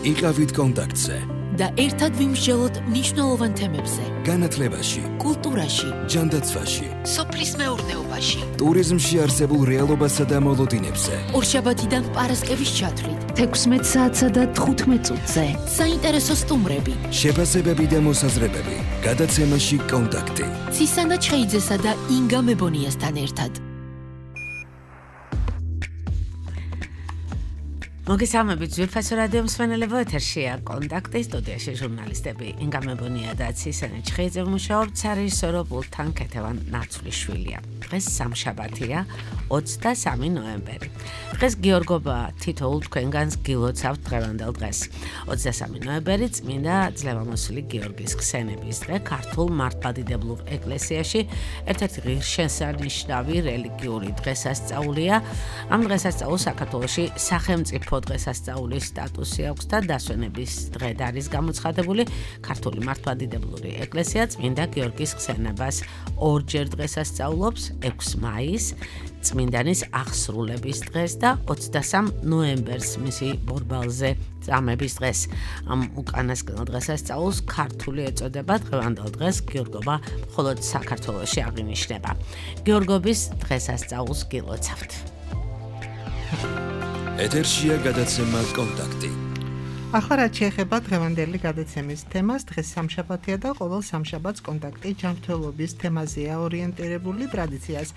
იყავით კონტაქტზე და ერთად ვიმსჯელოთ მნიშვნელოვან თემებზე. განათლებაში, კულტურაში, ჯანდაცვაში, სოფლის მეურნეობაში, ტურიზმში არსებულ რეალობასა და მოლოდინებზე. ორშაბათიდან პარასკევის ჩათვლით, 16 საათსა და 15 წუთზე. საინტერესო სტუმრები, შეფასებები და მოსაზრებები. გადაცემაში კონტაქტი. ცისანა ჩხეიძესა და ინგა მებონიასთან ერთად. მოგესალმებით ძვირფასო რადიო მსმენელებო, ეთერშია კონტაქტი, სტუდიაში ჟურნალისტები ინგა მებონია და ცისანა ჩხეიძე მუშაობთ, სარეჟისორო პულტთან ქეთევან ნაცვლიშვილია. დღეს სამშაბათია, 23 ნოემბერი. დღეს გიორგობა თითოეულ თქვენგანს გილოცავთ დღევანდელ დღეს. 23 ნოემბერი წმინდა ძლევამოსილი გიორგის ხსენების დღე ქართულ მართლმადიდებლურ ეკლესიაში ერთ-ერთი ღირსშესანიშნავი რელიგიური დღესასწაულია. ამ დღესასწაულს საქართველოში სახელმწიფო დღესასწაულის სტატუსი აქვს და დასვენების დღედ არის გამოცხადებული. ქართული მართლმადიდებლური ეკლესია წმინდა გიორგის ხსენებას ორჯერ დღესასწაულობს, 6 მაისს წმინდანის აღსრულების დღეს და 23 ნოემბერს მისი ბორბალზე წამების დღეს. ამ უკანასკნელ დღესასწაულს ქართული ეწოდება დღევანდელ დღეს გიორგობა მხოლოდ საქართველოში აღინიშნება. გიორგობის დღესასწაულს გილოცავთ. ეთერშია გადაცემა კონტაქტი. ახლა რაც შეეხება დღევანდელი გადაცემის თემას, დღეს სამშაბათია და ყოველ სამშაბათს კონტაქტი ჯანმრთელობის თემაზეა ორიენტირებული. ტრადიციას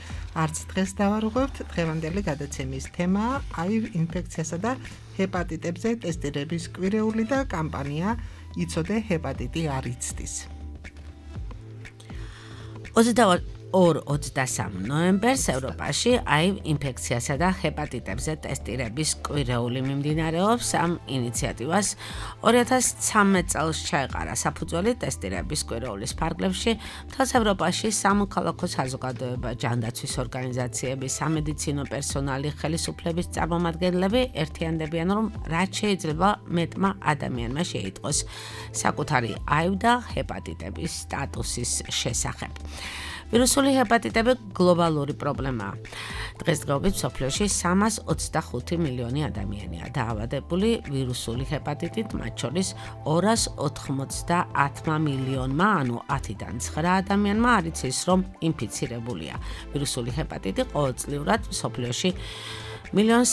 არც დღეს დავარღვევთ. დღევანდელი გადაცემის თემაა HIV ინფექციასა და ჰეპატიტებზე ტესტირების კვირეული და კამპანია იცოდე ჰეპატიტი არ იცდის. 22-23 ნოემბერს ევროპაში HIV ინფექციასა და ჰეპატიტებზე ტესტირების კვირეული მიმდინარეობს. ამ ინიციატივას 2013 წელს ჩაეყარა საფუძველი ტესტირების კვირეულის ფარგლებში. მთელს ევროპაში სამოქალაქო საზოგადოება, ჯანდაცვის ორგანიზაციები, სამედიცინო პერსონალი, ხელისუფლების წარმომადგენლები ერთიანდებიან, რომ რაც შეიძლება მეტმა ადამიანმა შეიტყოს საკუთარი HIV და ჰეპატიტების სტატუსის შესახებ. ვირუსული ჰეპატიტები გლობალური პრობლემაა. დღესდღეობით მსოფლიოში 325 მილიონი ადამიანია დაავადებული ვირუსული ჰეპატიტით, მათ შორის 290 მილიონმა, ანუ 10-დან 9 ადამიანმა არ იცის, რომ ინფიცირებულია. ვირუსული ჰეპატიტი ყოველწლიურად მსოფლიოში 1.3 მილიონი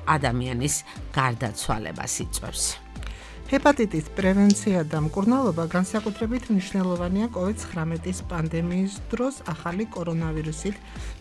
ადამიანის გარდაცვალებას იწვევს. ჰეპატიტის პრევენცია და მკურნალობა განსაკუთრებით მნიშვნელოვანია COVID-19 პანდემიის დროს ახალი კორონავირუსით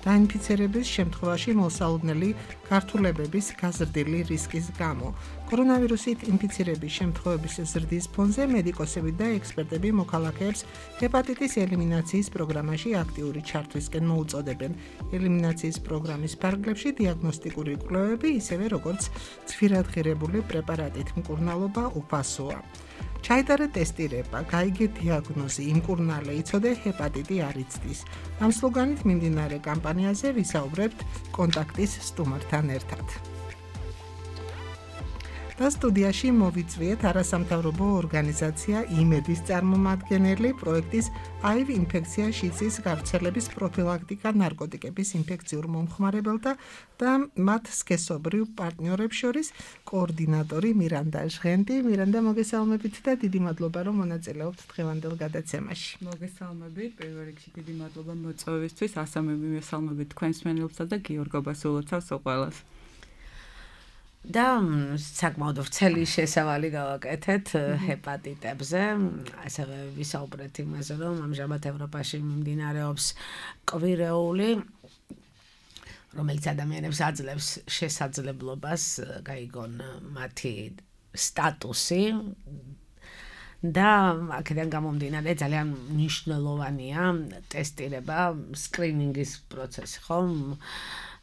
დაინფიცირების შემთხვევაში მოსალოდნელი გართულებების გაზრდილი რისკის გამო. კორონავირუსით ინფიცირების შემთხვევების ზრდის ფონზე მედიკოსები და ექსპერტები მოქალაქეებს ჰეპატიტის ელიმინაციის პროგრამაში აქტიური ჩართვისკენ მოუწოდებენ. ელიმინაციის პროგრამის ფარგლებში დიაგნოსტიკური კვლევები, ისევე როგორც ცვირად ღირებული პრეპარატით მკურნალობა უფასოა. ჩაიტარა ტესტირება, გაიგე დიაგნოზი, იმკურნალე, იცოდე ჰეპატიტი არ იცდის. ამ სლოგანით მიმდინარე კამპანიაზე ვისაუბრებთ კონტაქტის სტუმართან ერთად. და სტუდიაში მოვიწვიეთ არასამთავრობო ორგანიზაცია იმედის წარმომადგენელი პროექტის HIV ინფექცია შიცის გავრცელების პროფილაქტიკა ნარკოტიკების ინფექციურ მომხმარებელთა და მათ სქესობრივ პარტნიორებს შორის კოორდინატორი მირანდა ჟღენდი. მირანდა, მოგესალმებით და დიდი მადლობა, რომ მონაწილეობთ დღევანდელ გადაცემაში. მოგესალმებით, პირველ რიგში დიდი მადლობა მოწვევისთვის, ასევე მივესალმებით თქვენს მსმენელებსა და გიორგობას ულოცავს ყველას. და საკმაოდ ვრცელი შესავალი გავაკეთეთ ჰეპატიტებზე, ასევე ვისაუბრეთ იმაზე, რომ ამჟამად ევროპაში მიმდინარეობს კვირეული, რომელიც ადამიანებს აძლევს შესაძლებლობას გაიგონ მათი სტატუსი და აქედან გამომდინარე ძალიან მნიშვნელოვანია ტესტირება, სკრინინგის პროცესი, ხო?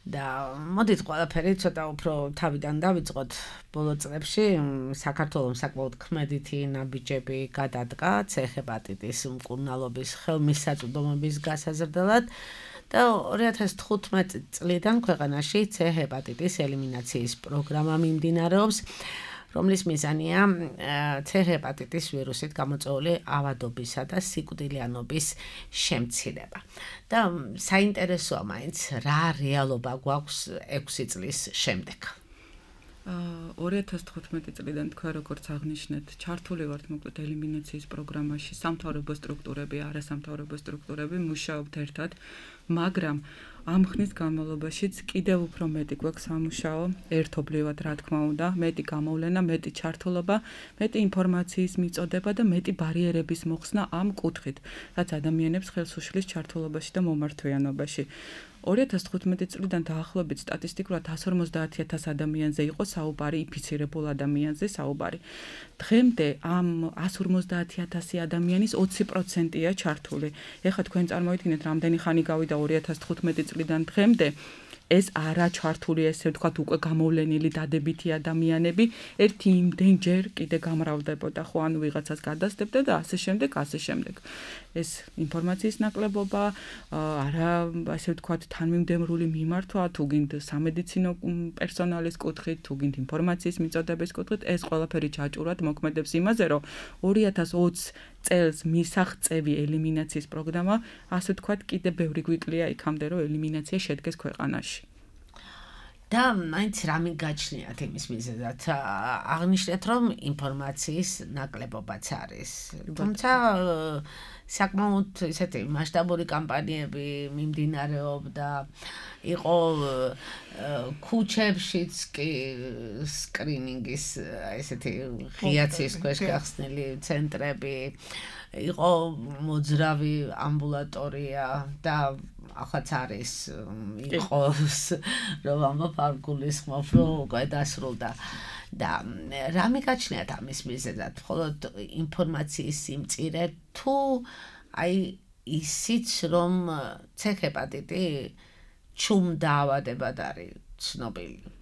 და მოდით ყველაფერი ცოტა უფრო თავიდან დავიწყოთ. ბოლო წლებში საქართველოს საკმაოდ ქმედითი ნაბიჯები გადადგა C ჰეპატიტის მკურნალობის ხელმისაწვდომობის გასაზრდელად და 2015 წლიდან ქვეყანაში C ჰეპატიტის ელიმინაციის პროგრამა მიმდინარეობს, რომლის მიზანია C ჰეპატიტის ვირუსით გამოწვეული ავადობისა და სიკვდილიანობის შემცირება. და საინტერესოა მაინც რა რეალობა გვაქვს 6 წლის შემდეგ. 2015 წლიდან თქვა როგორც აღნიშნეთ, ჩართული ვართ მოკლედ ელიმინაციის პროგრამაში, სამთავრობო სტრუქტურები, არასამთავრობო სტრუქტურები მუშაობთ ერთად, მაგრამ ამ ხნის განმავლობაშიც კიდევ უფრო მეტი გვაქვს სამუშაო, ერთობლივად რა თქმა უნდა, მეტი გამოვლენა, მეტი ჩართულობა, მეტი ინფორმაციის მიწოდება და მეტი ბარიერების მოხსნა ამ კუთხით, რაც ადამიანებს ხელს უშლის ჩართულობაში და მომართვიანობაში. 2015 წლიდან დაახლოებით სტატისტიკურად 150,000 ადამიანზე იყო საუბარი, ინფიცირებულ ადამიანზე საუბარი. დღემდე ამ 150,000 ადამიანის 20%-ია ჩართული. ეხლა თქვენ წარმოიდგინეთ, რამდენი ხანი გავიდა 2015 წლიდან დღემდე. ეს არა ჩართული, ესე ვთქვათ, უკვე გამოვლენილი დადებითი ადამიანები ერთი იმდენჯერ კიდე გამრავლდებოდა, ხო, ანუ ვიღაცას გადასდებდა და ასე შემდეგ. ეს ინფორმაციის ნაკლებობა, არა, ასე ვთქვათ, თანმიმდევრული მიმართვა, თუ გინდ სამედიცინო პერსონალის კუთხით, თუ გინდ ინფორმაციის მიწოდების კუთხით, ეს ყველაფერი ჩაჭურად მოქმედებს იმაზე, რომ 2020 წელს მისაღწევი ელიმინაციის პროგრამა, ასე ვთქვათ, კიდე ბევრი გვიკლია იქამდე, რომ ელიმინაცია შედგეს ქვეყანაში. და მაინც რამე გაჩნიათ იმის მიზეზად. აღნიშნეთ, რომ ინფორმაციის ნაკლებობაც არის. თუმცა საკმაოდ ისეთი მასშტაბური კამპანიები მიმდინარეობდა, იყო ქუჩებშიც კი სკრინინგის ესეთი ღიაცის ქვეშ გახსნილი ცენტრები, იყო მოძრავი ამბულატორია და ახაც არის იყოს რომ ამბობ არ გულისხმობ რომ უკვე დასრულდა და რამე გაჩნიათ ამის მიზეზად მხოლოდ ინფორმაციის სიმწირე თუ აი ისიც რომ ცექეპატიტი ჩუმ დაავადებად არის ცნობილი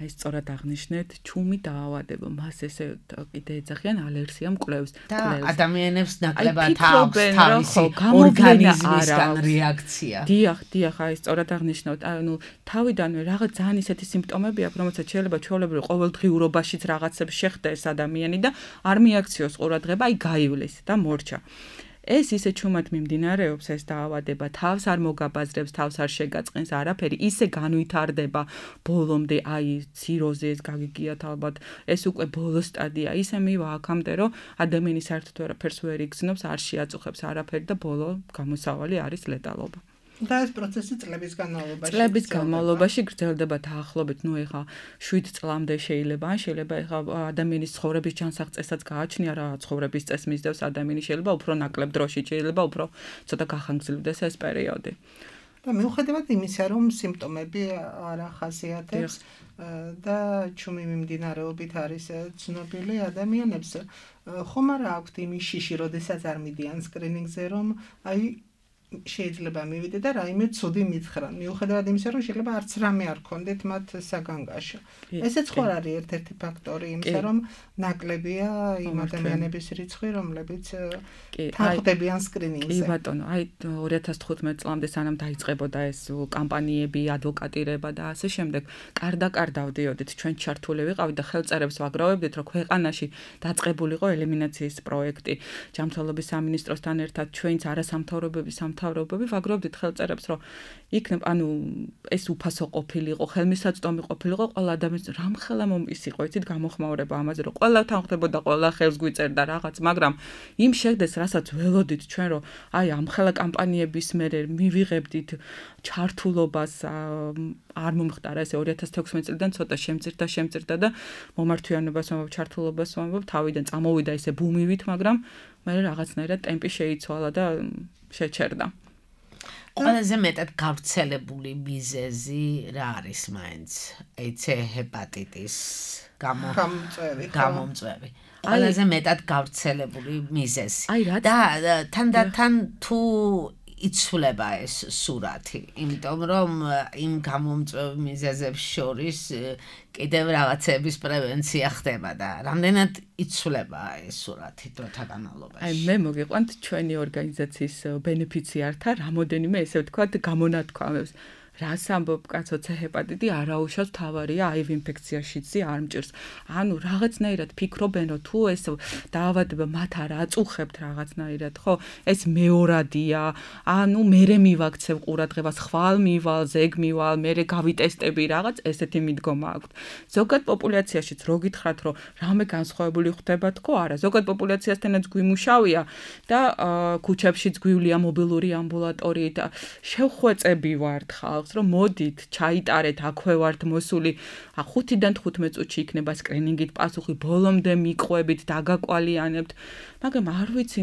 აი სწორად აღნიშნეთ, ჩუმი დაავადება, მას ესე კიდე ეძახიან ალერსიამ კვლევს. და ადამიანებს ნაკლებად აქვს თავისი ორგანიზმისგან რეაქცია. დიახ, აი სწორად აღნიშნოთ, ანუ თავიდანვე რაღაც ძალიან ისეთი სიმპტომები აქვს, რომელსაც შეიძლება ჩვეულებრივ ყოველდღიურობაშიც რაღაცებს შეხვდეს ადამიანი და არ მიაქციოს ყურადღება, აი გაივლის და მორჩა. ეს ისე ჩუმად მიმდინარეობს ეს დაავადება, თავს არ მოგაბაზრებს, თავს არ შეგაწყენს არაფერი, ისე განვითარდება ბოლომდე, აი ციროზეს გაგიგიათ ალბათ, ეს უკვე ბოლო სტადია, ისე მივა აქამდე, რომ ადამიანი საერთოდ არაფერს ვერ იგრძნობს, არ შეაწუხებს არაფერი და ბოლო გამოსავალი არის ლეტალობა. და ეს პროცესი წლების განმავლობაში გრძელდება დაახლოებით, ნუ ეხა 7 წლამდე შეიძლება ეხა ადამიანის ცხოვრების ჯანსაღწესაც გააჩნია რა ცხოვრების წესს მისდევს ადამიანი შეიძლება უფრო ნაკლებ დროში შეიძლება უფრო ცოტა გახანგრძლივდეს ეს პერიოდი. და მიუხედავად იმისა, რომ სიმპტომები არ ახასიათებს და ჩუმი მიმდინარეობით არის ცნობილი ადამიანებს, ხომ არა აქვთ იმის შიში, როდესაც არ მიდიან სკრინინგზე, რომ აი შეიძლება მივიდე და რაიმე ცუდი მითხრან. მიუხედავად იმისა, რომ შეიძლება არც რამე არ ქონდეთ მათ საგანგაშო. ესეც ხო არის ერთ-ერთი ფაქტორი იმისა, რომ ნაკლებია იმ ადამიანების რიცხვი, რომლებიც თანხმდებიან სკრინინგზე. კი ბატონო, აი 2015 წლამდე სანამ დაიწყებოდა ეს კამპანიები, ადვოკატირება და ასე შემდეგ, კარდაკარ დავდიოდით, ჩვენ ჩართული ვიყავით და ხელწერებს ვაგროვებდით, რომ ქვეყანაში დაწყებულიყო ელიმინაციის პროექტი. ჯანმრთელობის სამინისტროსთან ერთად ჩვენც არასამთავრობოების ვაგროვდით ხელწერებს, რომ იქნებ, ანუ ეს უფასო ყოფილიყო, ხელმისაწვდომი ყოფილიყო, ყველა ადამიანს რამხელა მომის იყო, იცით, გამოხმაურება ამაზე, რომ ყველა თანხმდებოდა, ყველა ხელს გვიწერდა რაღაც, მაგრამ იმ შედეგს, რასაც ველოდით ჩვენ, რომ აი ამხელა კამპანიების მერე მივიღებდით ჩართულობას, არ მომხდარა ესე 2016 წლიდან ცოტა შემწირდა და მომართვიანობას ვამბობ, ჩართულობას ვამბობ, თავიდან წამოვიდა ესე ბუმივით, მაგრამ მე რაღაცნაირად ტემპი შეიცვალა და შეჩერდა. ყველაზე მეტად გავრცელებული მიზეზი რა არის მაინც? ეცე ჰეპატიტის გამომწვევი. ყველაზე მეტად გავრცელებული მიზეზი. და თანდათან თუ იცვლება ეს სურათი, იმიტომ რომ იმ გამომწვევ მიზეზებს შორის კიდევ რაღაცების პრევენცია ხდება და რამდენად იცვლება ეს სურათი დროთა განმავლობაში. აი მე მოგიყვანთ ჩვენი ორგანიზაციის ბენეფიციართა რამოდენიმე ესე ვთქვათ გამონათქვამებს. რას ამბობ კაცო C ჰეპატიტი არაუშავს თავარია HIV ინფექციაშიც არ მჭირს. ანუ რაღაცნაირად ფიქრობენ რომ თუ ეს დაავადება მათ არ აწუხებთ რაღაცნაირად, ხო? ეს მეორადია. ანუ მერე მივაქცევ ყურადღებას, ხვალ მივალ, ზეგ მივალ, მერე გავიტესტები რაღაც, ესეთი მიდგომა აქვთ. ზოგად პოპულაციაშიც რო გითხრათ რომ რამე განსხვავებული ხდება თქო, არა, ზოგად პოპულაციასთანაც გვიმუშავია და ქუჩებშიც გვივლია მობილური ამბულატორიით და შევხვეწები ვართ ხალხს, რომ მოდით, ჩაიტარეთ, აქვე ვართ მოსული, 5-დან 15 წუთში იქნება სკრინინგით პასუხი, ბოლომდე მიყვებით, დაგაკვალიანებთ. მაგრამ არ ვიცი,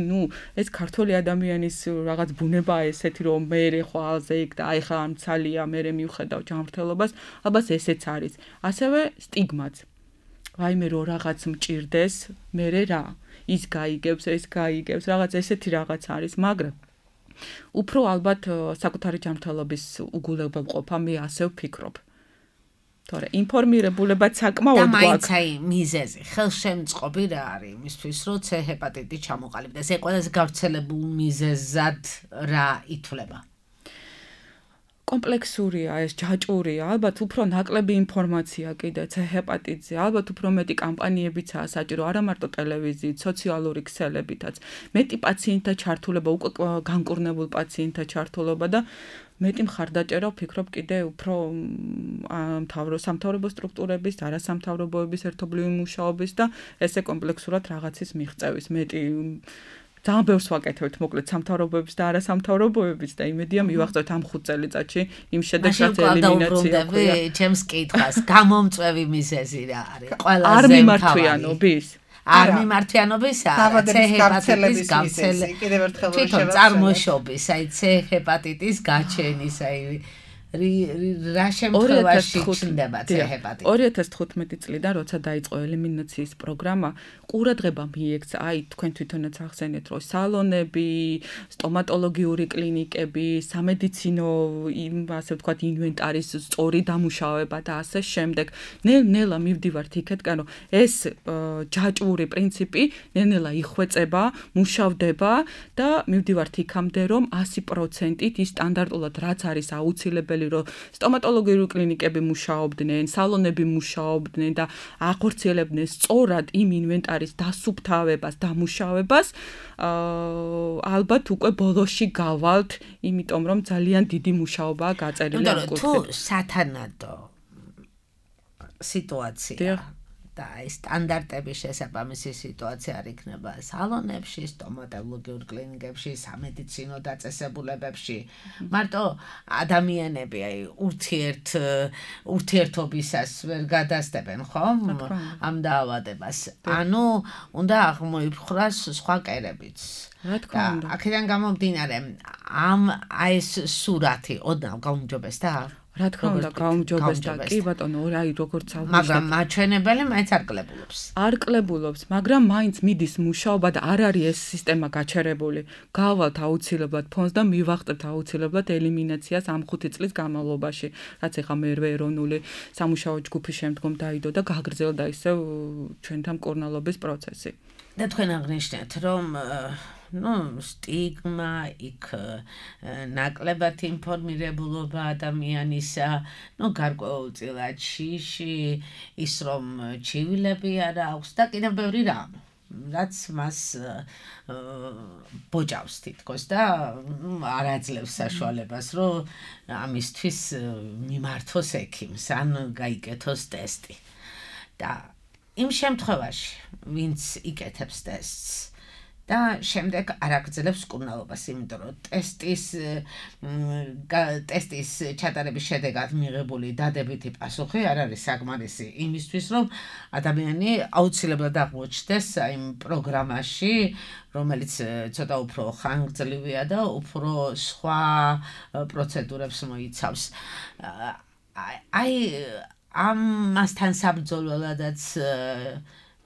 ეს ქართველი ადამიანის რაღაც ბუნებაა ესეთი, რომ მე ხვალზე იქ და აი ხა ამცალია, მე მივხედავ ჯანმრთელობას, ალბათ ესეც არის. ასევე სტიგმაც. ვაიმე რომ რაღაც მჭირდეს, მე რა, ის გაიგებს, ეს გაიგებს, რაღაც ესეთი რაღაც არის, მაგრამ უფრო ალბათ საკუთარი ჯანმრთელობის უგულებელყოფა მე ასე ვფიქრობ. თორე ინფორმირებულებაც საკმაოდ გვაქვს. და მაინც აი მიზეზი, ხელშემწყობი რა არის იმისთვის, რომ C ჰეპატიტი ჩამოყალიბდეს. ეს ყველაზე გავრცელებულ მიზეზად რა ითვლება? კომპლექსურია, ეს ჯაჭვურია, ალბათ უფრო ნაკლები ინფორმაცია კიდე C ჰეპატიტზე, ალბათ უფრო მეტი კამპანიებიცაა საჭირო, არა მარტო ტელევიზიით, სოციალური ქსელებითაც. მეტი პაციენტთა ჩართულობა, უკვე განკურნებულ პაციენტთა ჩართულობა და მეტი მხარდაჭერა ვფიქრობ კიდე უფრო სამთავრობო სტრუქტურების, არასამთავრობოების ერთობლივი მუშაობის და ესე კომპლექსურად რაღაცის მიღწევის მეტი ძალიან ბევრს ვაკეთებთ, მოკლედ სამთავრობოების და არასამთავრობოების და იმედია მივახცევთ ამ 5 წელიწადში იმ შედეგს რაც ელიმინაცია ქვია. ჩემს კითხვას, გამომწვევი მიზეზი რა არის? ყველაზე არ მიმართვიანობის? არ მიმართვიანობისა, C ჰეპატიტის გავრცელების, კიდევ ერთხელ შევახსენე. წარმოშობის, აი C ჰეპატიტის გაჩენის, აი რა შემთხვევაში ჩნდება C ჰეპატიტი? 2015 წლიდან, როცა დაიწყო ელიმინაციის პროგრამა, ყურადღება მიექცა, აი თქვენ თვითონაც ახსენეთ, რომ სალონები, სტომატოლოგიური კლინიკები, სამედიცინო, ასე ვთქვათ, ინვენტარის სწორი დამუშავება და ასე შემდეგ. ნელ-ნელა მივდივართ იქეთკენ, რომ ეს ჯაჭვური პრინციპი ნელ-ნელა იხვეწება, მუშავდება და მივდივართ იქამდე, რომ 100%-ით ის სტანდარტულად რაც არის აუცილებელი რომ სტომატოლოგიური კლინიკები მუშაობდნენ, სალონები მუშაობდნენ და ახორციელებდნენ სწორად იმ ინვენტარის დასუფთავებას, დამუშავებას, ალბათ უკვე ბოლოში გავალთ, იმიტომ რომ ძალიან დიდი მუშაობაა გაწერილი ამ კუთხით. თუ სათანადო სიტუაცია და სტანდარტების შესაბამისი სიტუაცია არ იქნება სალონებში, სტომატოლოგიურ კლინიკებში, სამედიცინო დაწესებულებებში. მარტო ადამიანები აი ურთიერთობისას ვერ გადასდებენ, ხო? ამ დაავადებას. ანუ უნდა აღმოიფხვრას სხვა კერებიც. რა თქმა უნდა. აქედან გამომდინარე, აი ეს სურათი ოდნავ გაუმჯობესდა? რა თქმა უნდა, გაუმჯობესდა. კი ბატონო, აი როგორც აღნიშნეთ. მაგრამ მაჩვენებელი მაინც არ კლებულობს. არ კლებულობს, მაგრამ მაინც მიდის მუშაობა და არ არის ეს სისტემა გაჩერებული. გავალთ აუცილებლად ფონს და მივახტებთ აუცილებლად ელიმინაციას ამ 5 წლის განმავლობაში, რაც ეხა მერვე ეროვნული სამუშაო ჯგუფის შემდგომ დაიდო და გაგრძელდა ისევ ჩვენთან მკურნალობის პროცესი. და თქვენ აღნიშნეთ, რომ სტიგმა, იქ ნაკლებად ინფორმირებულობა ადამიანისა, გარკვეულწილად შიში, ის რომ ჩივილები არ აქვს და კიდევ ბევრი რამ, რაც მას ბოჭავს თითქოს და არ აძლევს საშუალებას, რომ ამისთვის მიმართოს ექიმს ან გაიკეთოს ტესტი. და იმ შემთხვევაში, ვინც იკეთებს ტესტს და შემდეგ არ აგრძელებს მკურნალობას, იმიტომ რომ ტესტის ჩატარების შედეგად მიღებული დადებითი პასუხი არ არის საკმარისი იმისთვის, რომ ადამიანი აუცილებლად აღმოჩნდეს იმ პროგრამაში, რომელიც ცოტა უფრო ხანგრძლივია და უფრო სხვა პროცედურებს მოიცავს. აი ამასთან საბრძოლველადაც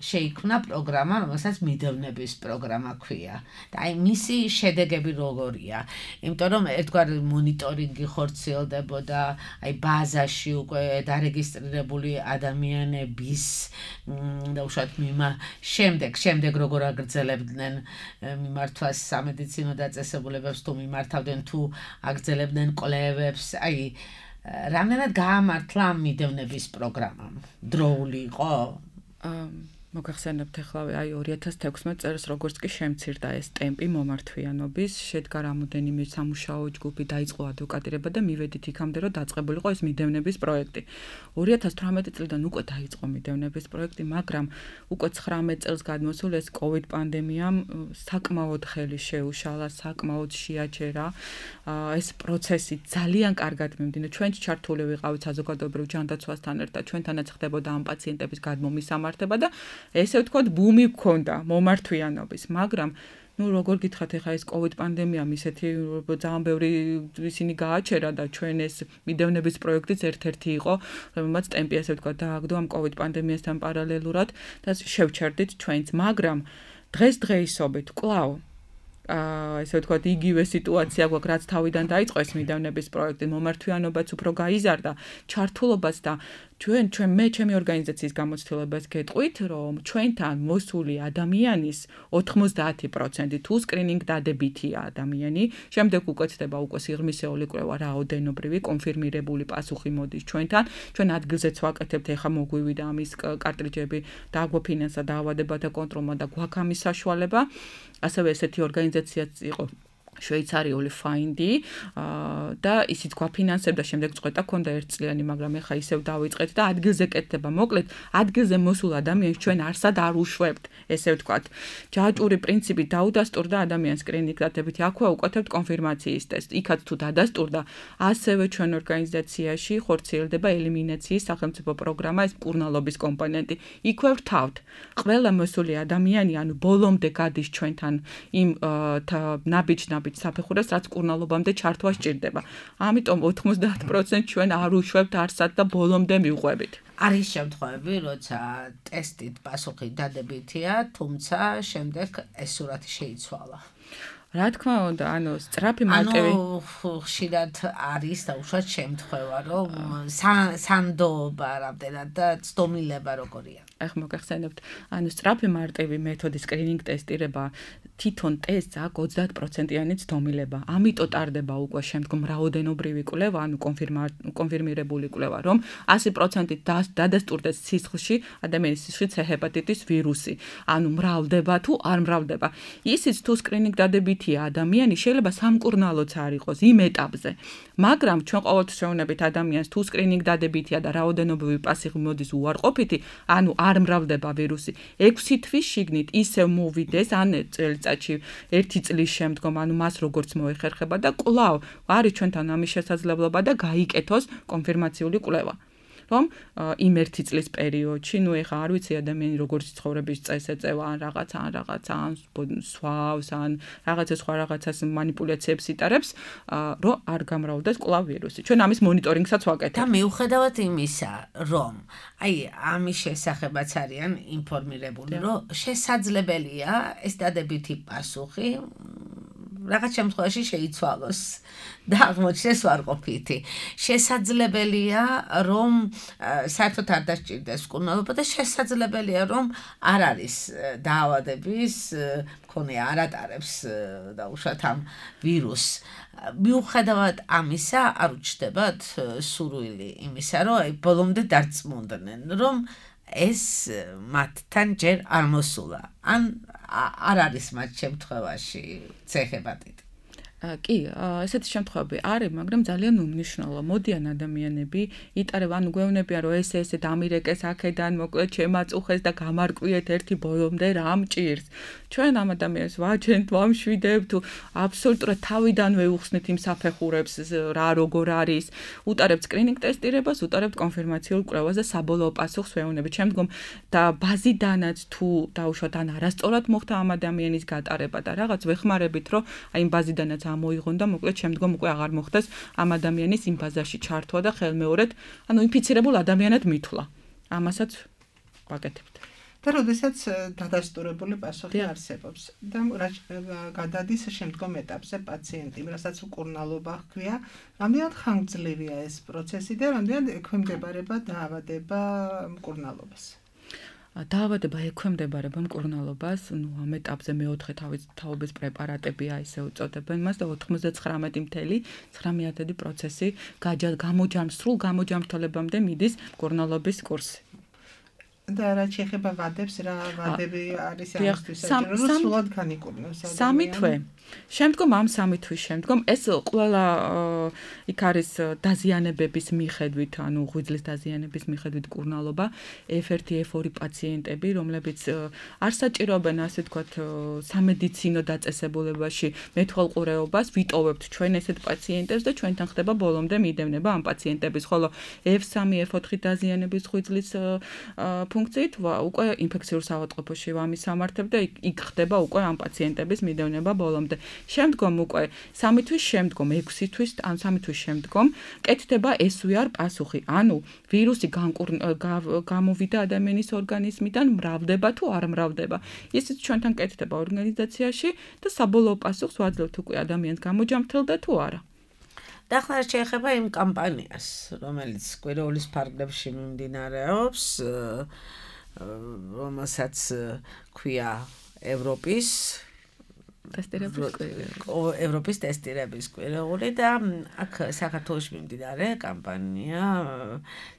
შეიქმნა პროგრამა, რომელსაც მიდევნების პროგრამა ქვია. და აი მისი შედეგები როგორია? იმიტომ რომ ერთგვარ მონიტორინგი ხორციელდებოდა აი ბაზაში უკვე დარეგისტრირებული ადამიანების და უშუალოდ შემდეგ როგორ აგრძელებდნენ მიმართვას სამედიცინო დაწესებულებებს თუ მიმართავდნენ თუ აგრძელებდნენ კვლევებს, აი რამდენად გაამართლა მიდევნების პროგრამამ? დროული იყო? მოგახსენებთ ახლა აი 2016 წელს როგორც კი შემცირდა ეს ტემპი მომართვიანობის, შედგა რამოდენიმე სამუშაო ჯგუფი, დაიწყო ადვოკატირება და მივედით იქამდე, რომ დაწყებულიყო ეს მიდევნების პროექტი. 2018 წლიდან უკვე დაიწყო მიდევნების პროექტი, მაგრამ უკვე 19 წელს გადმოსულ ეს COVID პანდემიამ საკმაოდ ხელი შეუშალა, საკმაოდ შეაჩერა. ეს პროცესი ძალიან კარგად მიმდინარე. ჩვენც ჩართული ვიყავით საზოგადოებრივ ჯანდაცვასთან ერთად, ჩვენთანაც ხდებოდა ამ პაციენტების გადმომისამართება და ესე ვთქვათ, ბუმი გქონდა მომართვიანობის, მაგრამ როგორ გითხრათ, ახლა ეს COVID პანდემიამ ისეთი ძალიან ბევრი ისინი გააჩერა და ჩვენ ეს მიდევნების პროექტიც ერთ-ერთი იყო, რომელმაც ტემპი ესე ვთქვათ დააგდო ამ COVID პანდემიასთან პარალელურად და შევჩერდით ჩვენც, მაგრამ დღესდღეობით კვლავ ესე ვთქვათ, იგივე სიტუაცია გვაქვს, რაც თავიდან დაიწყო ეს მიდევნების პროექტი, მომართვიანობაც უფრო გაიზარდა, ჩართულობაც და ჩემი ორგანიზაციის გამოცდილებას გეტყვით, რომ ჩვენთან მოსული ადამიანის 90% თუ სკრინინგ დადებითია ადამიანი, შემდეგ უკვე ხდება სიღრმისეული კვლევა, რაოდენობრივი კონფირმირებული პასუხი მოდის ჩვენთან, ჩვენ ადგილზეც ვაკეთებთ, ეხლა მოგვივიდა ამის კარტრიჯები, დააგვაფინანსა დაავადებათა კონტროლმა და გვაქვს ამის საშუალება, ასევე ესეთი ორგანიზაციაც იყო შვეიცარიული ფაინდი და ისიც გვაფინანსებდა, შემდეგ წყვეტა ქონდა ერთწლიანი, მაგრამ ეხა ისევ დავიწყეთ და ადგილზე კეთდება. მოკლედ, ადგილზე მოსულ ადამიანს ჩვენ არსად არ უშვებთ, ესე ვთქვათ. ჯაჭვური პრინციპი დაუდასტურდა ადამიანს სკრინინგ დადებით, აქვე უკეთებთ კონფირმაციის ტესტს. იქაც თუ დადასტურდა, ასევე ჩვენ ორგანიზაციაში ხორციელდება ელიმინაციის სახელმწიფო პროგრამა, ეს მკურნალობის კომპონენტი. იქვე ვრთავთ. ყველა მოსული ადამიანი, ანუ ბოლომდე გადის ჩვენთან იმ ნაბიჯ საფეხურებს, რაც მკურნალობამდე ჩართვა სჭირდება. ამიტომ 90% ჩვენ არ უშვებთ არსად და ბოლომდე მივყვებით. არის შემთხვევები, როცა ტესტით პასუხი დადებითია, თუმცა შემდეგ ეს სურათი შეიცვალა. რა თქმა უნდა, სწრაფი მარტივი ხშირად არის და უშუალოდ შემთხვევა, რომ სანდოობა რამდენად და ცდომილება როგორია. ახლა მოგახსენებთ, სწრაფი მარტივი მეთოდი სკრინინგ ტესტირება თვითონ ტესტს აქვს 30%-იანი ცდომილება. ამიტომ ტარდება უკვე შემდგომ რაოდენობრივი კვლევა, კონფირმირებული კვლევა, რომ 100%-ით დადასტურდეს სისხლში ადამიანის სისხლში C-ჰეპატიტის ვირუსი. მრავლდება თუ არ მრავლდება. ისიც თუ სკრინინგ დადებითია ადამიანი, შეიძლება სამკურნალოც არ იყოს იმ ეტაპზე. მაგრამ ჩვენ ყოველთვის შევუნებით ადამიანს თუ სკრინინგ დადებითია და რაოდენობრივი პასუხი მოდის უარყოფითი, არ მრავლდება ვირუსი. 6 თვის შიგნით ისევ მოვიდეს წელიწადში 1 წლის შემდგომ, მას როგორც მოეხერხება და კვლავ არის ჩვენთან ამის შესაძლებლობა და გაიკეთოს კონფირმაციული კვლევა. რომ იმ 1 წლის პერიოდში, ეხა არ ვიცი ადამიანი როგორც ცხოვრების წესს ეწევა, ან რაღაცა, ან სვავს, ან რაღაცა სხვა რაღაცას მანიპულაციებს იტარებს, რომ არ გამრავლდეს კვლავ ვირუსი. ჩვენ ამის მონიტორინგსაც ვაკეთებთ. და მიუხედავად იმისა, რომ ამის შესახებაც არიან ინფორმირებული, რომ შესაძლებელია ეს დადებითი პასუხი რაღაც შემთხვევაში შეიცვალოს და აღმოჩნდეს ვარყოფითი. შესაძლებელია, რომ საერთოდ არ დასჭირდეს მკურნალობა და შესაძლებელია, რომ არ არის დაავადების მქონე, არ ატარებს და უშუალოდ ამ ვირუსს. მიუხედავად ამისა, არ უჩნდებათ სურვილი იმისა, რომ ბოლომდე დარწმუნდნენ, რომ ეს მათთან ჯერ არ მოსულა. ან არ არის მათ შემთხვევაში C-ჰეპატიტი. კი, ესეთი შემთხვევები არის, მაგრამ ძალიან უმნიშვნელო. მოდიან ადამიანები, იტარებენ, გვეუბნებიან, რომ ესე დამირეკეს აქედან, მოკლედ შემაწუხეს და გამარკვიეთ ერთი ბოლომდე რა მჭირს. ჩვენ ამ ადამიანს ვაჩენთ, ვამშვიდებთ, აბსოლუტურად თავიდანვე უხსნით იმ საფეხურებს, რა როგორ არის, უტარებთ სკრინინგ ტესტირებას, უტარებთ კონფირმაციულ კვლევას და საბოლოო პასუხს ვეუბნებით. შემდგომ და ბაზიდანაც თუ დაუშვათ ან არასწორად მოხდა ამ ადამიანის გატარება და რაღაც ვეხმარებით, რომ იმ ბაზიდანაც მოიღონ და მოკლედ შემდგომ უკვე აღარ მოხდეს ამ ადამიანის იმ ბაზაში ჩართვა და ხელმეორედ, ინფიცირებულ ადამიანად მითვლა. ამასაც ვაკეთებთ. და როდესაც დადასტურებული პასუხი არსებობს და გადადის შემდგომ ეტაპზე პაციენტი, რასაც მკურნალობა ჰქვია, რამდენად ხანგრძლივია ეს პროცესი და რამდენად ექვემდებარება დაავადება მკურნალობას? დაავადება ექვემდებარება მკურნალობას, ამ ეტაპზე მეოთხე თაობის პრეპარატებია ისე უწოდებენ მას და 99.9% სრულ გამოჯამრთელებამდე მიდის მკურნალობის კურსი. და რა შეიძლება ვადებს, რა ვადები არის ამისთვის საჭირო, რომ სულად განიკურნოს ადამიანი. სამი თვე. შემდგომ ამ სამი თვის შემდგომ ეს ყველა იქ არის დაზიანებების მიხედვით, ანუ ღვიძლის დაზიანების მიხედვით მკურნალობა, F1, F2 პაციენტები, რომლებიც არ საჭიროებენ, ასე ვთქვათ, სამედიცინო დაწესებულებაში მეთვალყურეობას, ვიტოვებთ ჩვენ ესეთ პაციენტებს და ჩვენთან ხდება ბოლომდე მიდევნება ამ პაციენტების, ხოლო F3, F4 დაზიანების ღვიძლის ფუნქციით უკვე ინფექციურ საავადმყოფოში ვამისამართებ და იქ ხდება უკვე ამ პაციენტების მიდევნება ბოლომდე. შემდგომ უკვე 3 თვის შემდგომ, 6 თვის, ან 3 თვის შემდგომ კეთდება SVR პასუხი. ანუ ვირუსი გამოვიდა ადამიანის ორგანიზმიდან, მრავლდება თუ არ მრავლდება. ისიც ჩვენთან კეთდება ორგანიზაციაში და საბოლოო პასუხს ვაძლევთ უკვე ადამიანს გამოჯამრთელდა თუ არა. და ახლა შეეხება იმ კამპანიას, რომელიც კვირეულის ფარგლებში მიმდინარეობს, რომელსაც ქვია ევროპის ტესტირების კვირეული და აქ საქართველოში მიმდინარე კამპანია,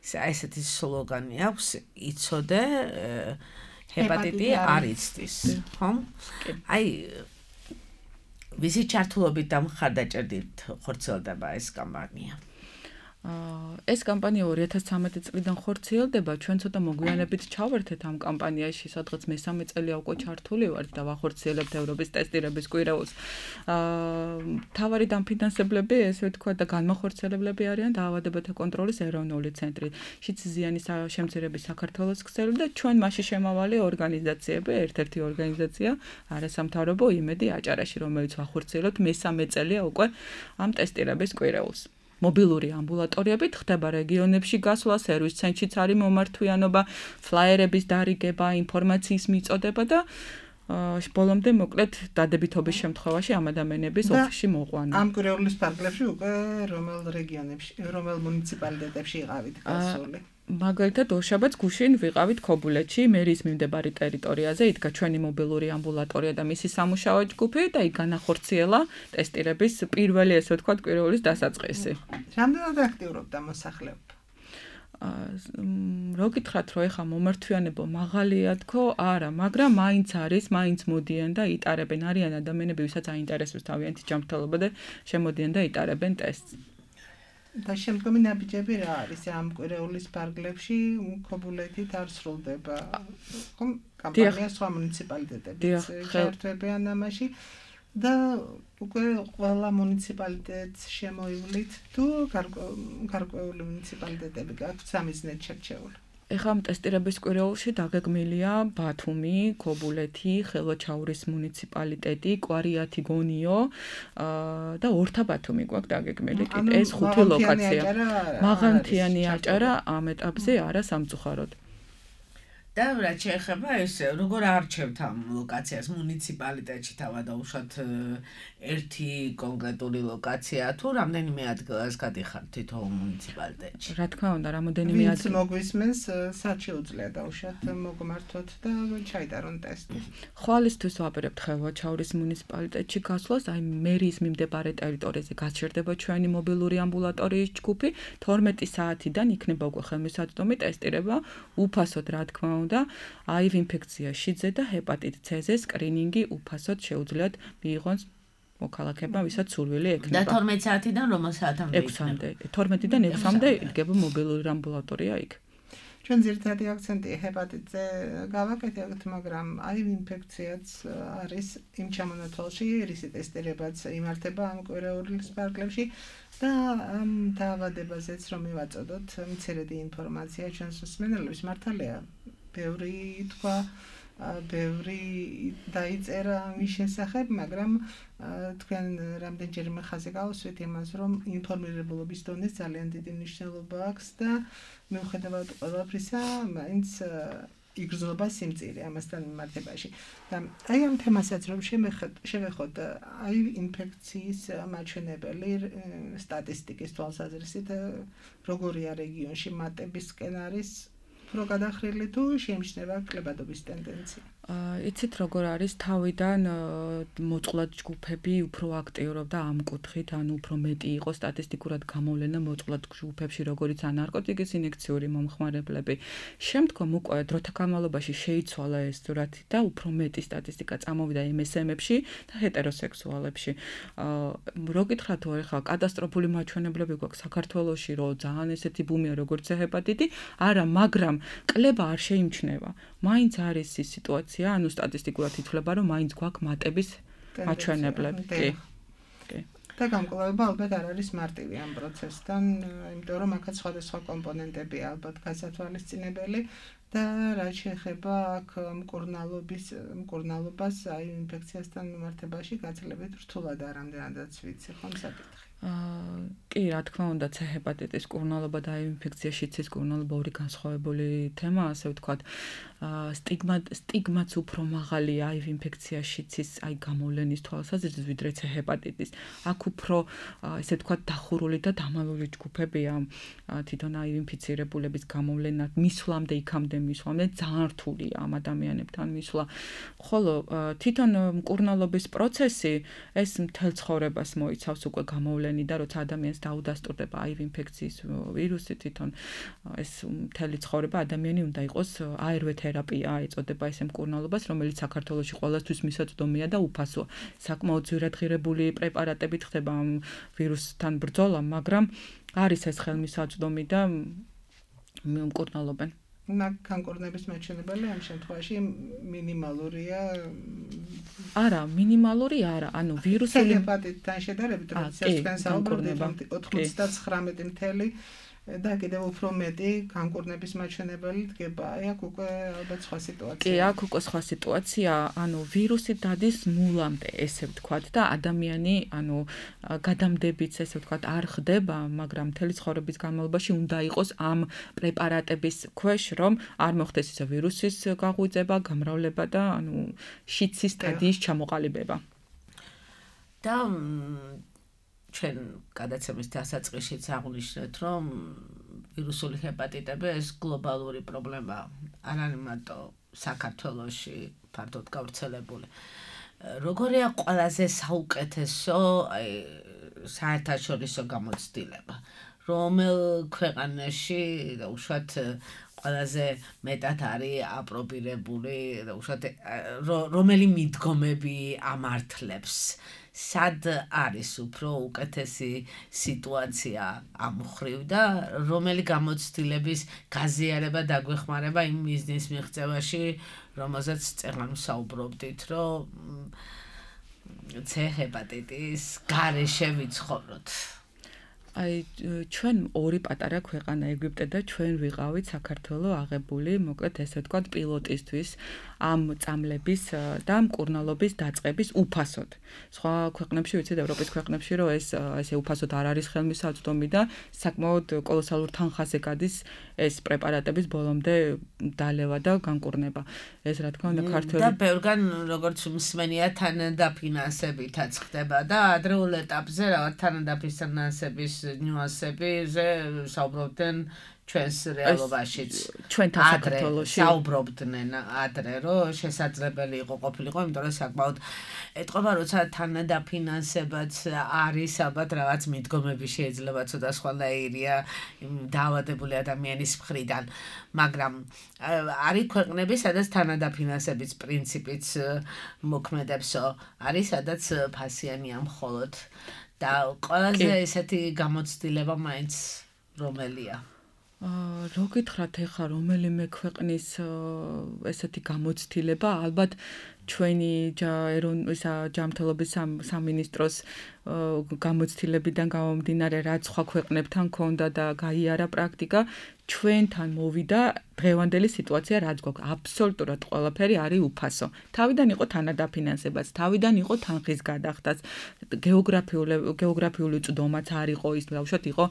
ესეთი სლოგანი აქვს, იცოდე ჰეპატიტი არ იცდის, ხო? აი ვისი ჩართულობით და მხარდაჭერით ხორციელდება ეს კამპანია? ეს კამპანია 2013 წლიდან ხორციელდება, ჩვენ ცოტა მოგვიანებით ჩავერთეთ ამ კამპანიაში, სადღაც მესამე წელია უკვე ჩართული ვართ და ვახორციელებთ ევროპის ტესტირების კვირეულს. მთავარი დამფინანსებლები, ესე ვთქვათ, და განმახორციელებლები არიან დაავადებათა კონტროლის ეროვნული ცენტრი, შიდსიზიანის შემცირების საქართველოს ქსელი და ჩვენ მასში შემავალი ორგანიზაციები, ერთ-ერთი ორგანიზაცია არასამთავრობო იმედი აჭარაში, რომელიც ვახორციელებთ მესამე წელია უკვე ამ ტესტირების კვირეულს. მობილური ამბულატორიებით ხდება რეგიონებში გასვლა, სერვის ცენტრშიც არის მომართვიანობა, ფლაიერების დარიგება, ინფორმაციის მიწოდება და ბოლომდე მოკლედ დადებითობის შემთხვევაში ამ ადამიანების ოფისში მოყვანა. ამ კვირეულის ფარგლებში უკვე რომელ რეგიონებში, რომელ მუნიციპალიტეტებში იყავით გასული? მაგალითად, ორშაბათს გუშინ ვიყავით ქობულეთში, მერის მიმდებარე ტერიტორიაზე, იდგა ჩვენი მობილური ამბულატორია და მისი სამუშაო ჯგუფი და იქ განახორციელა ტესტირების პირველი, ესე ვთქვათ, კვირეულის დასაწყისი. რამდენად აქტიურობდა მოსახლეობა? რო გითხრათ, რომ ეხა მომართვიანება მაღალია თქო, არა, მაგრამ მაინც მოდიან და იტარებენ, არიან ადამიანები, ვისაც აინტერესებს თავიანთი ჯანმრთელობა და შემოდიან და იტარებენ ტესტს. და შემდგომი ნაბიჯები რა არის ამ კვირეულის ფარგლებში? ქობულეთით არ სრულდება. ხომ კამპანია სხვა მუნიციპალიტეტებიც შეერთებიან ამაში და უკვე ყველა მუნიციპალიტეტს შემოივლით თუ გარკვეული მუნიციპალიტეტები გაქვთ სამიზნედ შერჩეული? ეხლა ამ ტესტირების კვირეულში დაგეგმილია ბათუმი, ქობულეთი, ხელვაჩაურის მუნიციპალიტეტი, კვარიათი, გონიო და ორთაბათუმი გვაქვს დაგეგმილი. ეს 5 ლოკაცია. მაღალმთიანი აჭარა ამ ეტაპზე არა სამწუხაროდ. და რაც შეეხება ეს როგორ არჩევთ ამ ლოკაციას მუნიციპალიტეტში თავადაუშვათ ერთი კონკრეტული ლოკაცია თუ რამდენიმე ადგილას გადიხართ თითოეულ მუნიციპალიტეტში? რა თქმა უნდა, რამოდენიმე ადგილი მოგვისმენს, სად შეუძლია დავუშვათ მოგმართოთ და ჩაიტარონ ტესტი. ხვალისთვის ვაპირებთ ხელვაჩაურის მუნიციპალიტეტში გასვლას, აი მერის მიმდებარე ტერიტორიაზე გაჩერდება ჩვენი მობილური ამბულატორიის ჯგუფი, 12 საათიდან იქნება უკვე ხელმისაწვდომი ტესტირება, უფასოდ რა თქმა უნდა, HIV ინფექცია, შიდზე და ჰეპატიტ C-ზე სკრინინგი უფასოდ შეუძლიათ მიიღონ მოქალაქეებმა, ვისაც სურვილი ექნება. და 12 საათიდან რომელ საათამდე? 6-მდე. 12-დან 6-მდე იდგება მობილური ამბულატორია იქ. ჩვენ ძირითადი აქცენტი ჰეპატიტზე გავაკეთებთ, მაგრამ HIV ინფექციაც არის იმ ჩამონათვალში, რისი ტესტირებაც იმართება ამ კვირეულის ფარგლებში და ამ დაავადებაზეც რომ მივაწოდოთ მცირედი ინფორმაცია ჩვენს მსმენელებს, მართალია ბევრი თქვა, ბევრი დაიწერა მის შესახებ, მაგრამ თქვენ რამდენჯერმე ხაზი გავუსვით იმას, რომ ინფორმირებულობის დონეს ძალიან დიდი მნიშვნელობა აქვს და მიუხედავად ყველაფრისა, მაინც იგრძნობა სიმწირე ამასთან მიმართებაში. და აი ამ თემასაც რომ შევეხოთ, აი ინფექციის მაჩვენებელი სტატისტიკის თვალსაზრისით, როგორია რეგიონში მატების სკენ არის უფრო გადახრილი თუ შეიმჩნევა კლებადობის ტენდენცია? იცით როგორ არის თავიდან მოწყვლად ჯგუფები უფრო აქტიურობდა ამ კუთხით, ანუ უფრო მეტი იყო სტატისტიკურად გამოვლენა მოწყვლად ჯგუფებში, როგორიც ნარკოტიკის ინექციური მომხმარებლები. შემდგომ უკვე დროთა განმავლობაში შეიცვალა ეს სურათი და უფრო მეტი სტატისტიკა წამოვიდა MSM-ებში და ჰეტეროსექსუალებში. რო გითხრათ თუ ახლა კატასტროფული მაჩვენებლები გვაქვს საქართველოში, რომ ძალიან ესეთი ბუმია როგორც ჰეპატიტი, არა, მაგრამ კლება არ შეიმჩნევა. მაინც არის ის სიტუაცია, ანუ სტატისტიკურად ითვლება, რომ მაინც გვაქვს მატების მაჩვენებლები. კი. და გამკლავება ალბათ არ არის მარტივი ამ პროცესთან, იმიტომ რომ აქაც სხვადასხვა კომპონენტებია ალბათ გასათვალისწინებელი და რაც შეეხება აქ მკურნალობას აი ინფექციასთან მიმართებაში გაცილებით რთულად არ ამდენადაც ვიცი ხომ საკითხი. კი, რა თქმა უნდა, C ჰეპატიტის კურნალობა და ინფექცია შიცის კურნალობა ორი განსხვავებული თემაა, ასე ვთქვათ. სტიგმაც უფრო მაღალია აი ინფექცია შიცის აი გამოვლენის თვალსაზრისით, ვიდრე C ჰეპატიტის. აქ უფრო ესე ვთქვათ დახურული და დამალული ჯგუფებია თვითონ აი ინფიცირებულების გამოვლენა მისვლამდე იქამდე მისვლამდე ძალიან რთულია ამ ადამიანებთან მისვლა. ხოლო თვითონ მკურნალობის პროცესი ეს მთელ ცხოვრებას მოიცავს უკვე გამოვლენი და როცა ადამიანს დაუდასტურდება აი ინფექციის ვირუსი თვითონ ეს მთელი ცხოვრება ადამიანი უნდა იყოს ARV თერაპია ეწოდება ეს მკურნალობას რომელიც საქართველოში ყველასთვის მისაწვდომია და უფასოა საკმაოდ ძვირადღირებული პრეპარატებით ხდება ამ ვირუსთან ბრძოლა მაგრამ არის ეს ხელმისაწვდომი და მკურნალობენ განკურნების მაჩვენებელი ამ შემთხვევაში მინიმალურია არა მინიმალური არა ანუ ვირუსული ჰეპატიტთან შედარებით როდესაც თქვენ საუბრობთ 99 და კიდევ უფრო მეტი განკურნების მაჩვენებელი დგება. აი აქ უკვე ალბათ სხვა სიტუაცია. კი, აქ უკვე სხვა სიტუაცია, ანუ ვირუსი დადის ნულამდე, ესე ვთქვათ და ადამიანი, ანუ გადამდებიც ესე ვთქვათ არ ხდება, მაგრამ მთელი ცხოვრების განმავლობაში უნდა იყოს ამ პრეპარატების ქვეშ, რომ არ მოხდეს ისე ვირუსის გაღვიძება, გამრავლება და ანუ შიცის სტადიის ჩამოყალიბება. და ჩვენ გადაცემის დასაწყისშიც აღვნიშნეთ, რომ ვირუსული ჰეპატიტები ეს გლობალური პრობლემაა. არ არის მარტო საქართველოში ფართოდ გავრცელებული. როგორია ყველაზე საუკეთესო საერთაშორისო გამოცდილება? რომელ ქვეყანაში და უშუალოდ ყველაზე მეტად არის აპრობირებული და უშუალოდ რომელი მიდგომები ამართლებს? სად არის უფრო უკეთესი სიტუაცია ამ მხრივ და რომელი გამოცდილების გაზიარება დაგვეხმარება იმ ბიზნეს მიღწევაში, რომელზეც წეგან საუბრობდით, რომ C ჰეპატიტის გარეშე ვიცხოვროთ. აი ჩვენ ორი პატარა ქვეყანა ეგვიპტე და ჩვენ ვიყავით საქართველოს აღებული, მოკლედ ესე ვთქვათ პილოტისთვის ამ წამლების და მკურნალობის დაწყების უფასოდ. სხვა ქვეყნებში ვიცით ევროპის ქვეყნებში რომ ეს ესე უფასოდ არ არის ხელმისაწვდომი და საკმაოდ კოლოსალურ თანხაზე გადის ეს პრეპარატების ბოლომდე დალევა და განკურნება. ეს რა თქმა უნდა ქართველი და ბევრგან როგორც მსმენია თანადაფინანსებითაც ხდება და ადრეულ ეტაპზე რაღაც თანადაფინანსების ნიუანსებზე საუბრობდნენ ჩვენს რეალობაშიც ჩვენთან საქართველოში საუბრობდნენ ადრე რომ შესაძლებელი იყო ყოფილიყო იმიტომ რომ საკმაოდ ეთყობა როცა თანადაფინანსებაც არის ალბათ რაღაც მიდგომები შეიძლება ცოტა სხვანაირია დაავადებული ადამიანის მხრიდან მაგრამ არის ქვეყნები სადაც თანადაფინანსების პრინციპიც მოქმედებსო არის სადაც ფასიანია მხოლოდ და ყველაზე ესეთი გამოცდილება მაინც რომელია რო გითხრათ ეხლა რომელიმე ქვეყნის ესეთი გამოცდილება ალბათ ჩვენი ჯანმრთელობის სამინისტროს გამოცდილებიდან გამომდინარე რაც სხვა ქვეყნებთან ქონდა და გაიარა პრაქტიკა ჩვენთან მოვიდა დღევანდელი სიტუაცია რაც გვაქვს აბსოლუტურად ყველაფერი არის უფასო. თავიდან იყო თანადაფინანსებაც, თავიდან იყო თანხის გადახდაც, გეოგრაფიული წვდომაც არ იყო ის ბავშვად იყო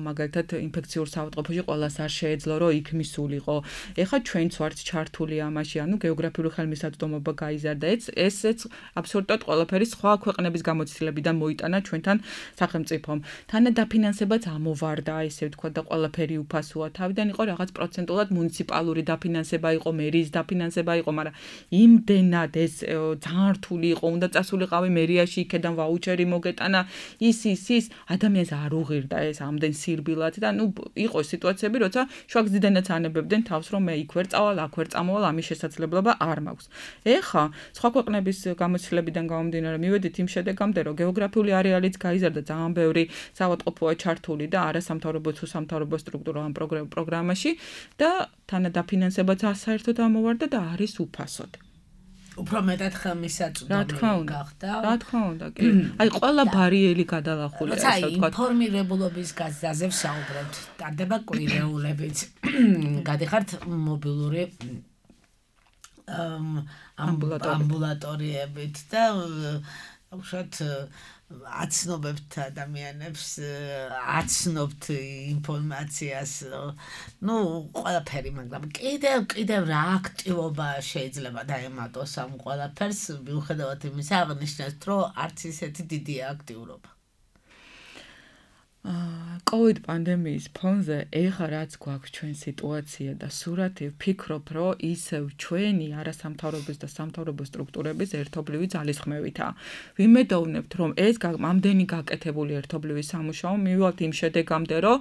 მაგალითად ინფექციურ საავადმყოფოში ყველას არ შეეძლო რომ იქ მისულიყო. ეხლა ჩვენც ვართ ჩართული ამაში, ანუ გეოგრაფიული ხელმისაწვდომობა გაიზარდა. ესეც აბსოლუტურად ყველაფერი სხვა ქვეყნების გამოცდილება გამოცდილებიდან მოიტანა ჩვენთან სახელმწიფომ. თანადაფინანსებაც ამოვარდა, ესე ვთქვათ, და ყველაფერი უფასოა. თავიდან იყო რაღაც პროცენტულად მუნიციპალური დაფინანსება იყო, მერიის დაფინანსება იყო, მაგრამ იმდენად ეს ძალიან რთული იყო, უნდა წასულიყავი მერიაში, იქედან ვაუჩერი მოგეტანა, ის ადამიანს არ უღირდა ეს ამდენ სირბილად და იყო სიტუაციები, როცა შვაგზიდანაც ანებებდნენ თავს, რომ მე იქ ვერ წავალ, აქ ვერ წამოვალ, ამის შესაძლებლობა არ მაქვს. ეხა სხვა ქვეყნების გამოცდილებიდან გამომდინარე მივედით იმ შედეგამდე, რომ გეოგრაფიული არეალიც გაიზარდა, ძალიან ბევრი საავადმყოფოა ჩართული და არასამთავრობო თუ სამთავრობო სტრუქტურა ამ პროგრამაში და თანადაფინანსებაც საერთოდ ამოვარდა და არის უფასოდ. უფრო მეტად ხელმისაწვდომი გახდა. რა თქმა უნდა, კი. აი ყველა ბარიერი გადალახულია, ასე ვთქვათ. ინფორმირებულობის გაზრდაზე ვსაუბრობთ. ტარდება კვირეულებიც. გადიხართ მობილური ამბულატორიებით და უშუალოდ აცნობებთ ადამიანებს, აცნობთ ინფორმაციას, ყველაფერი, მაგრამ კიდევ რა აქტივობა შეიძლება დაემატოს ამ ყველაფერს, მიუხედავად იმისა, აღნიშნეთ, რომ არც ისეთი დიდი აქტიურობა. COVID პანდემიის ფონზე ეხლა რაც გვაქვს ჩვენ სიტუაცია და სურათი ვფიქრობ, რომ ისევ ჩვენი არასამთავრობო და სამთავრობო სტრუქტურების ერთობლივი ძალისხმევითაა. ვიმედოვნებთ, რომ ეს ამდენი გაკეთებული ერთობლივი სამუშაო მივიღებთ იმ შედეგამდე, რომ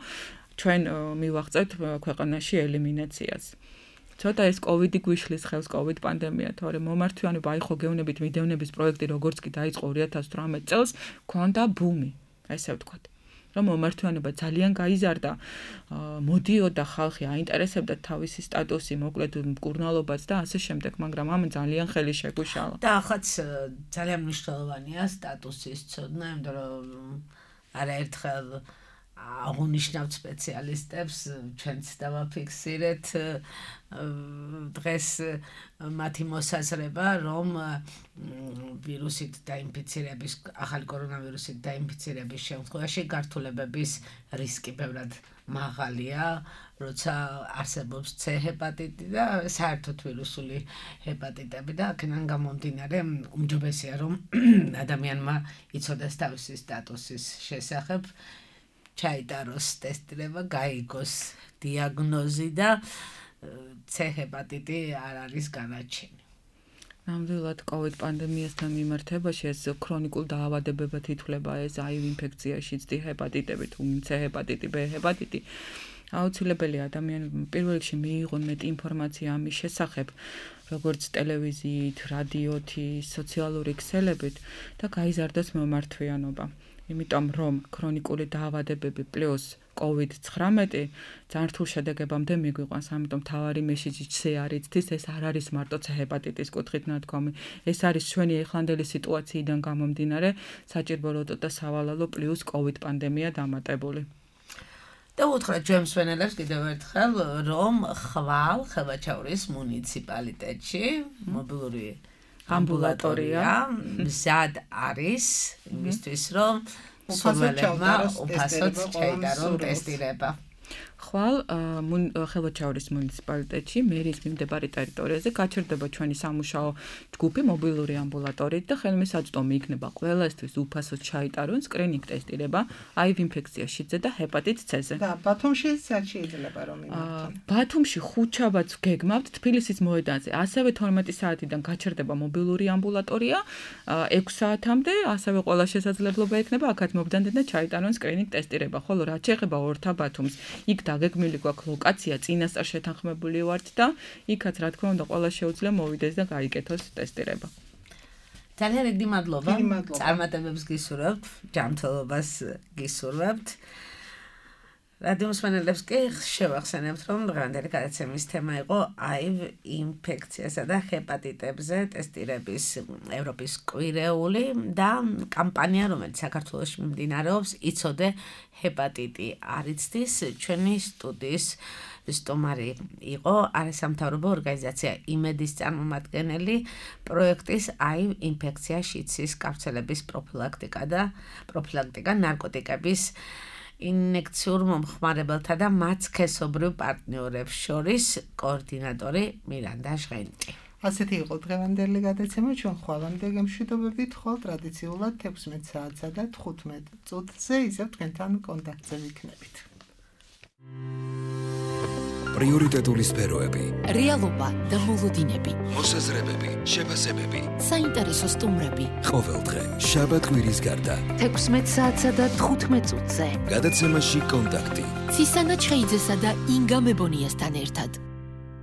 ჩვენ მივაღწევთ ქვეყანაში ელიმინაციას. ცოტა ეს COVID-ი გვიშლის ხელს, COVID პანდემია, თორემ მომართვიანობა, აი ხო გეუბნებით მიდევნების პროექტი როგორც კი დაიწყო 2018 წელს, ქონდა ბუმი, ესე ვთქვათ. რომ მომართვიანობა ძალიან გაიზარდა, მოდიოდა ხალხი, აინტერესებდა თავისი სტატუსი, მოკლედ მკურნალობაც და ასე შემდეგ, მაგრამ ამ ძალიან ხელი შეგუშალა. და ახაც ძალიან მნიშვნელოვანია სტატუსის ცოდნა, იმიტომ რომ არაერთხელ აღუნიშნავთ სპეციალისტებს, ჩვენც დავაფიქსირეთ დღეს მათი მოსაზრება, რომ ვირუსით დაინფიცირების, ახალი კორონავირუსით დაინფიცირების შემთხვევაში გართულებების რისკი ბევრად მაღალია, როცა არსებობს C ჰეპატიტი და საერთოდ ვირუსული ჰეპატიტები და აქედან გამომდინარე უმჯობესია, რომ ადამიანმა იცოდეს თავისი სტატუსის შესახებ, ჩაიტაროს ტესტირება, გაიგოს დიაგნოზი და C ჰეპატიტი არ არის განაჩენი. ნამდვილად COVID პანდემიასთან მიმართებაში ეს ქრონიკულ დაავადებებად ითვლება ეს HIV ინფექციაში D ჰეპატიტები თუ C ჰეპატიტი, B ჰეპატიტი. აუცილებელი ადამიანებმა პირველ რიგში მიიღონ მეტი ინფორმაცია ამის შესახებ, როგორც ტელევიზიით, რადიოთი, სოციალური ქსელებით და გაიზარდოს მომართვიანობა. იმიტომ რომ ქრონიკული დაავადებები პლუს COVID-19 ძალიან რთულ შედეგებამდე მიგვიყვანს, ამიტომ თავარი მესიჯი არის, ეს არ არის მარტო C ჰეპატიტის კუთხით ნათქვამი. ეს არის ჩვენი ეხლანდელი სიტუაციიდან გამომდინარე საჭირო როტო და სავალალო პლუს COVID პანდემია დამატებული. და უთხრა ჩვენ მსვენელებს კიდევ ერთხელ, რომ ხვალ ხელვაჩაურის მუნიციპალიტეტში მობილური ამბულატორია მზად არის იმისთვის, რომ სულელებმა უფასოდ ჩაიტარონ ტესტირება. ხვალ ხელვაჩაურის მუნიციპალიტეტში მერიის მიმდებარე ტერიტორიაზე გაჩერდება ჩვენი სამუშაო ჯგუფი მობილური ამბულატორიით და ხელმისაწვდომი იქნება ყველასთვის უფასოდ ჩაიტარონ სკრინინგ ტესტირება HIV ინფექციაში და ჰეპატიტ C-ზე. და ბათუმში სად შეიძლება რომ იმართონ? ბათუმში ხუთშაბათს გეგმავთ თბილისის მოედანზე. ასევე 12 საათიდან გაჩერდება მობილური ამბულატორია 6 საათამდე, ასევე ყველა შესაძლებლობა ექნება აქაც მობდანდნენ და ჩაიტარონ სკრინინგ ტესტირება. ხოლო რაც შეეხება ორთა ბათუმს, იქ დაგეგმილი გვაქვს ლოკაცია, წინასწარ შეთანხმებული ვართ და იქაც რა თქმა უნდა ყველა შეუძლია მოვიდეს და გაიკეთოს ტესტირება. ძალიან დიდი მადლობა. წარმატებებს გისურვებთ, ჯანმრთელობას გისურვებთ. რადიო მსმენელებს კი შევახსენებთ, რომ დღევანდელი გადაცემის თემა იყო HIV ინფექციასა და ჰეპატიტებზე ტესტირების ევროპის კვირეული და კამპანია, რომელიც საქართველოში მიმდინარეობს, იცოდე ჰეპატიტი არ იცდის. ჩვენი სტუდიის სტუმარი იყო არასამთავრობო ორგანიზაცია იმედის წარმომადგენელი პროექტის HIV ინფექცია შიდსის გავრცელების პროფილაქტიკა ნარკოტიკების ინექციურ მომხმარებელთა და მათ სქესობრივ პარტნიორებს შორის კოორდინატორი მირანდა ჟღენტი. ასეთი იყო დღევანდელი გადაცემა, ჩვენ ხვალამდე გემშვიდობებით, ხოლ ტრადიციულად 16 საათსა და 15 წუთზე ისევ თქვენთან კონტაქტზე ვიქნებით. პრიორიტეტული სფეროები, რეალობა და მოლოდინები, მოსაზრებები, შეფასებები, საინტერესო სტუმრები. ყოველდღე, შაბათ-კვირის გარდა. 16 საათსა და 15 წუთზე. გადაცემაში კონტაქტი. ცისანა ჩხეიძესა და ინგა მებონიასთან ერთად.